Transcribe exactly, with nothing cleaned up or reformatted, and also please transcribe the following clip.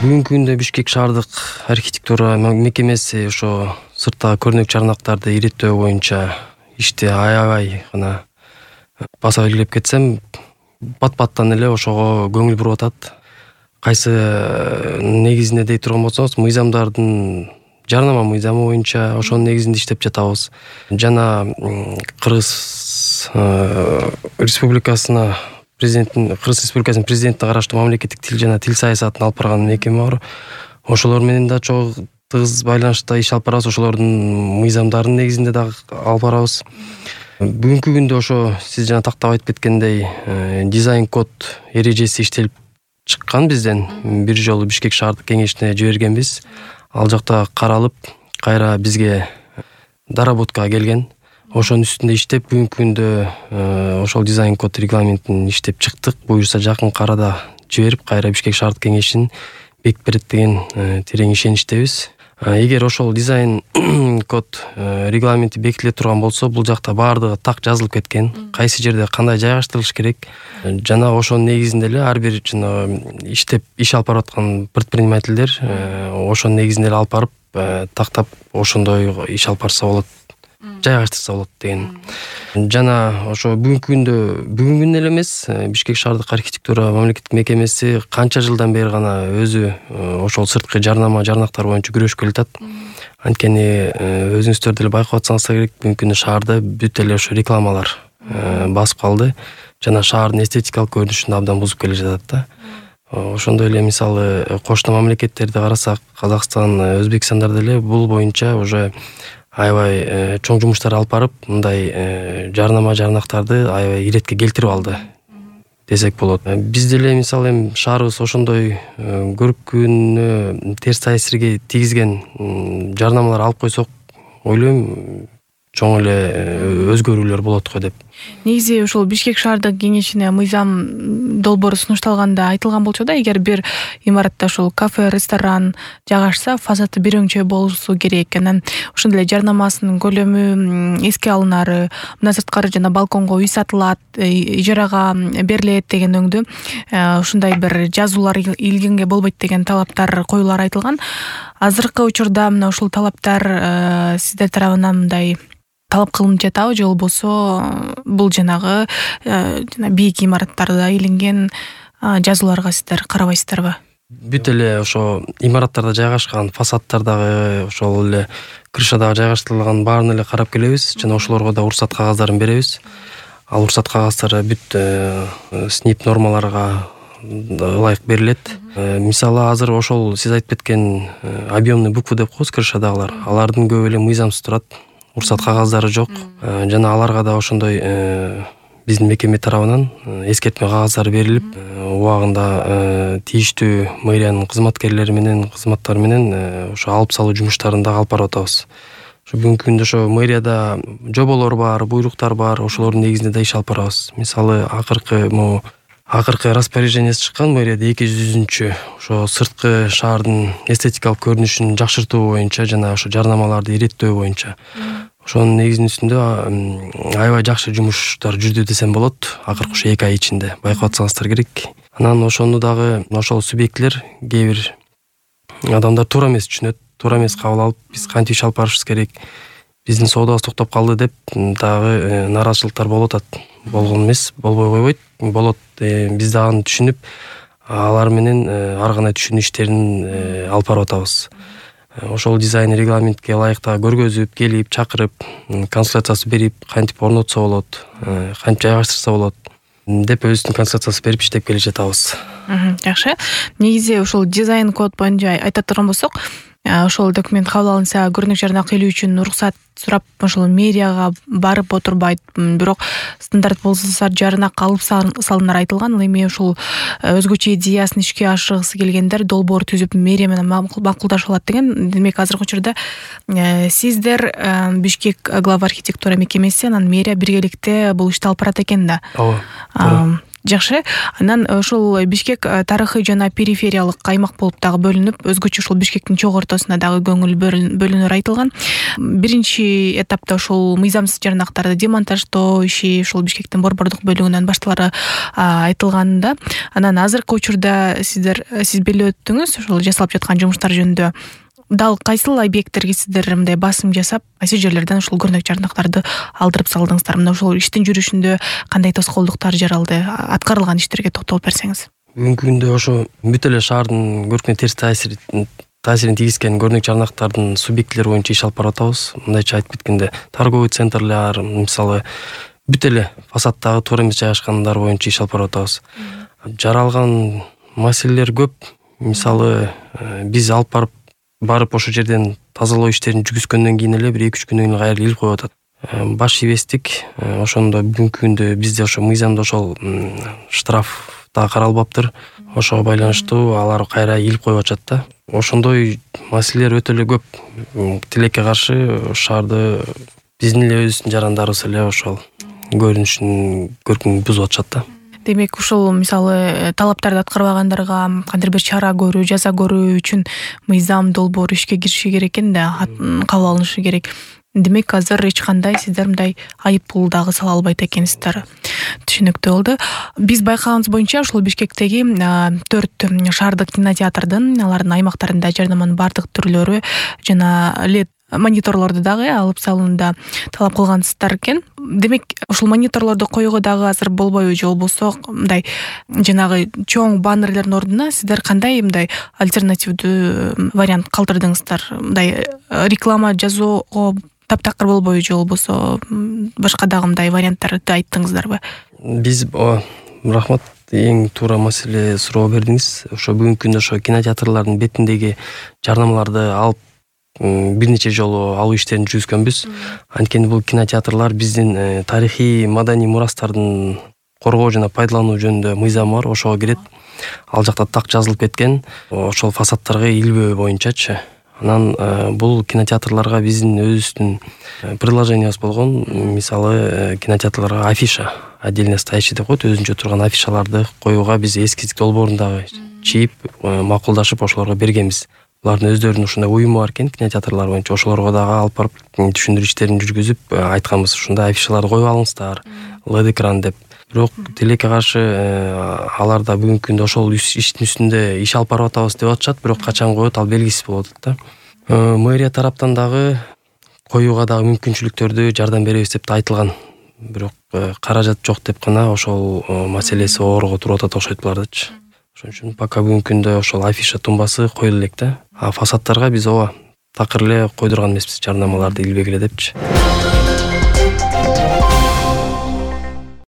Бүгүнкү күндө Бишкек шаардык архитектура мекемеси ошо сырттагы көрнөк чарнактарды иреттөө боюнча ишти аябай гана баса белгилеп кетсем, бат-баттан эле ошого көңүл буруп атат. Кайсы негизинде дей турган болсоңуз, мыйзамдардын жарнама мыйзамы боюнча ошонун негизинде иштеп жатабыз. Жана Кыргыз Республикасына президенттин Кыргыз Республикасынын президентине караштуу мамлекеттик тил жана тил саясатын алып барган мекеме бар. Ошолор менен да чоң тыгыз байланышта иш алып барабыз. Ошолордун мыйзамдарынын негизинде дагы алып барабыз. Бүгүнкү күндө ошо сиз жана тактап айтып кеткендей дизайн код эрежеси иштелип чыккан бизден. Бир жолу Бишкек шаардык кеңешине жибергенбиз. Ал жакта каралып, кайра бизге доработкага келген. Ошонун үстүндө иштеп, бүгүнкү күндө ошол дизайн код регламентин иштеп чыктык. Буюрса жакынкы арада жиберип, кайра Бишкек шаардык кеңешин бекитип берет деген терең ишеничтебиз. Эгер ошол дизайн код регламенти бекитиле турган болсо, бул жакта баардыгы так жазылып кеткен. Кайсы жерде кандай жайгаштырылыш керек, жана ошонун негизинде эле ар бир жана иштеп иш алып барып аткан предпринимательдер ошонун негизинде эле алып барып тактап ошондой иш алып барса болот, жайгаштырса болот деген. Жана ошо бүгүнкү күндө бүгүнкү күндө эле эмес, Бишкек шаардык архитектура мамлекеттик мекемеси канча жылдан бери гана өзү ошол сырткы жарнама жарнактар боюнча күрөшүп келатат. Анткени өзүңүздөр деле байкап атсаңыздар керек, бүгүнкү күндө шаарда бүт эле ошо рекламалар басып калды жана шаардын эстетикалык көрүнүшүн абдан бузуп келе жатат да. Ошондой эле мисалы кошуна мамлекеттерди карасак, Казакстан, Өзбекстандар деле бул боюнча уже аябай чоң жумуштар алып барып, мындай жарнама жарнактарды аябай иретке келтирип алды десек болот. Биз деле мисалы эми шаарыбыз ошондой көркүнө терс таасирге тийгизген жарнамалар алып койсок, ойлойм чоң эле өзгөрүүлөр болот го деп. Негизи ошол Бишкек шаардык кеңешине мыйзам долбоору сунушталганда айтылган болчу да, эгер бир имаратта ошол кафе, ресторан жайгашса, фасады бир өңчө болушу керек. Анан ошондой эле жарнамасынын көлөмү эске алынары, мындан сырткары жана балконго үй сатылат, ижарага берилет деген өңдү ушундай бир жазуулар илгенге болбойт деген талаптар коюлары айтылган. Азыркы учурда мына ушул талаптар сиздер тарабынан мындай талап кылынып жатабы, же болбосо бул жанагы жана бийик имараттарда илинген жазууларга сиздер карабайсыздарбы? Бүт эле ошо имараттарда жайгашкан, фасадтардагы, ошол эле крышадагы жайгаштырылган баарын эле карап келебиз жана ошолорго да уруксат кагаздарын беребиз. Ал уруксат кагаздары бүт СНИП нормаларга ылайык берилет. Мисалы азыр ошол сиз айтып кеткен объемный буквы деп коебуз, крышадагылар, алардын көбү эле мыйзамсыз турат. Уруксат кагаздары жок. Жана аларга да ошондой биздин мекеме тарабынан эскертме кагаздары берилип, убагында тийиштүү мэриянын кызматкерлери менен, кызматтары менен ошо алып салуу жумуштарын да алып барып атабыз. Ошо бүгүнкү күндө ошо мэрияда жоболор бар, буйруктар бар, ошолордун негизинде да иш алып барабыз. Мисалы акыркы могу акыркы распоряжениеси чыккан мэрияда эки жүзүнчү ошо сырткы шаардын эстетикалык көрүнүшүн жакшыртуу боюнча жана ошо жарнамаларды иреттөө боюнча. Ошонун негизинин үстүндө аябай жакшы жумуштар жүрдү десем болот. Акыркы ушу эки ай ичинде байкап атсаңыздар керек. Анан ошону дагы ошол субъектлер, кээ бир адамдар туура эмес түшүнөт, туура эмес кабыл алып, биз кантип иш алып барышыбыз керек, биздин соодабыз токтоп калды деп дагы нааразычылыктар болуп атат. Болгон эмес, болбой койбойт, болот. Биз дагы аны түшүнүп, алар менен ар кандай түшүнүү иштерин алып барып атабыз. Ошол дизайн регламентке ылайыктуу көргөзүп, келип, чакырып, консультациясы берип, кантип орнотсо болот, кантип жайгаштырса болот деп өзүбүздүн консультациясы берип иштеп келе жатабыз. Жакшы. Негизи ошол дизайн код боюнча айта турган болсок, ошол документ кабыл алынса, көрүнүк жарнак илүү үчүн уруксат сурап, ошол мэрияга барып отурбайт. Бирок стандарт болсо жарнак алып салынары айтылган. Ал эми ошол өзгөчө идеясын ишке ашыргысы келгендер долбоор түзүп мэрия менен макулдашып алат деген. Демек азыркы учурда сиздер Бишкек глава архитектура мекемеси, анан мэрия биргеликте бул ишти алып барат экен да. Ооба. Жакшы. Анан ушул Бишкек тарыхый жана перифериялык аймак болуп дагы бөлүнүп, өзгөчө ушул Бишкектин чогуу ортосуна дагы көңүл бөлүнөр айтылган. Биринчи этапта ушул мыйзамсыз жарнактарды демонтаждоо иши ушул Бишкектин борбордук бөлүгүнөн башталары айтылганда, анан азыркы учурда сиздер сиз белгилеп өттүңүз ушул жасалып жаткан жумуштар жөнүндө. Дал кайсыл объекттерге сиздер мындай басым жасап, кайсы жерлерден ушул көрнөк жарнактарды алдырып салдыңыздар? Мына ушул иштин жүрүшүндө кандай тоскоолдуктар жаралды? Аткарылган иштерге токтолуп берсеңиз. Бүгүнкү күндө ошо бүт эле шаардын көркүнө терс таасир таасирин тийгизген көрнөк жарнактардын субъектилери боюнча иш алып барып атабыз. Мындайча айтып кеткенде, торговый центрлер, мисалы, бүт эле фасаддагы туура эмес жайгашкандар боюнча иш алып барып атабыз. Жаралган маселелер көп. Мисалы, биз алып барып барып ошол жерден тазалоо иштерин жүргүзгөндөн кийин эле бир эки үч күндөн кийин кайра илип коюп атат. Баш ийбестик. Ошондо бүгүнкү күндө бизде ошо мыйзамда ошол штраф да каралбаптыр. Ошого байланыштуу алар кайра илип коюп атышат да. Ошондой маселелер өтө эле көп. Тилекке каршы шаарды биздин эле өзүбүздүн жарандарыбыз эле ошол көрүнүшүн көркүн бузуп атышат да. Демек, ушул мисалы талаптарды аткарбагандарга кандайдыр бир чара көрүү, жаза көрүү үчүн мыйзам долбоору ишке кириши керек экен да, кабыл алынышы керек. Демек, азыр эч кандай сиздер мындай айыппул дагы сала албайт экенсиздер. Түшүнүктүү болду. Биз байкаганыбыз боюнча ушул Бишкектеги төрт шаардык кинотеатрдын алардын аймактарында жарнаманын бардык түрлөрү жана лед мониторлорду дагы алып салуунда талап кылгансыздар экен. Демек, ушул мониторлорду коюуга дагы азыр болбойбу, же болбосо мындай жанагы чоң баннерлердин ордуна сиздер кандай мындай альтернативдүү вариант калтырдыңыздар? Мындай реклама жазууга таптакыр болбойбу, же болбосо башка дагы мындай варианттарды айттыңыздарбы? Биз рахмат, эң туура маселе суроо бердиңиз. Ошо бүгүнкү күндө ошо кинотеатрлардын бетиндеги жарнамаларды алып бир нече жолу алуу иштерин жүргүзгөнбүз. Анткени бул кинотеатрлар биздин тарыхый маданий мурастардын коргоо жана пайдалануу жөнүндө мыйзам бар, ошого кирет. Ал жакта так жазылып кеткен. Ошол фасадтарга илбөө боюнчачы. Анан бул кинотеатрларга биздин өзүбүздүн предложениябыз болгон. Мисалы, кинотеатрларга афиша, отдельно стоящий деп коет, өзүнчө турган афишаларды коюуга биз эскиздик долбоорун дагы чийип, макулдашып ошолорго бергенбиз. Булардын өздөрүнүн ушундай уюму бар экен, кинотеатрлар боюнча. Ошолорго дагы алып барып түшүндүрүү иштерин жүргүзүп айтканбыз, ушундай афишаларды коюп алыңыздар, лед экран деп. Бирок тилекке каршы алар да бүгүнкү күндө ошол иштин үстүндө иш алып барып атабыз деп атышат, бирок качан коет ал белгисиз болуп атат да. Мэрия тараптан дагы коюуга дагы мүмкүнчүлүктөрдү жардам беребиз деп да айтылган. Бирок каражат жок деп гана ошол маселеси оорго туруп атат окшойт булардычы. Ошон үчүн пока бүгүнкү күндө ошол афиша тумбасы коюла элек да. А фасадтарга биз ооба такыр эле койдурган эмеспиз жарнамаларды илбегиле депчи.